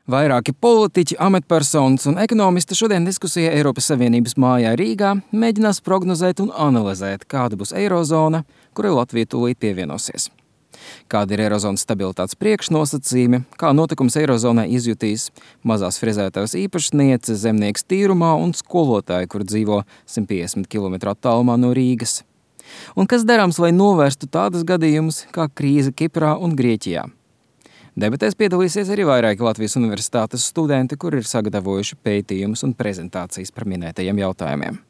Vairāki politiķi, amatpersonas un ekonomisti šodien diskusijā Eiropas Savienības mājā Rīgā mēģinās prognozēt un analizēt, kāda būs eirozona, kurai Latvija tūlīt pievienosies. Kādi ir eirozonas stabilitātes priekšnosacījumi, kā notikums eirozonai izjutīs mazās frezētājs īpašniece, zemnieks tīrumā un skolotāji, kur dzīvo 150 km attālumā no Rīgas. Un kas darāms, lai novērstu tādas gadījumus kā krīze Kiprā un Grieķijā? Debatēs piedalīsies arī vairāki Latvijas universitātes studenti, kuri ir sagatavojuši pētījumus un prezentācijas par minētajiem jautājumiem.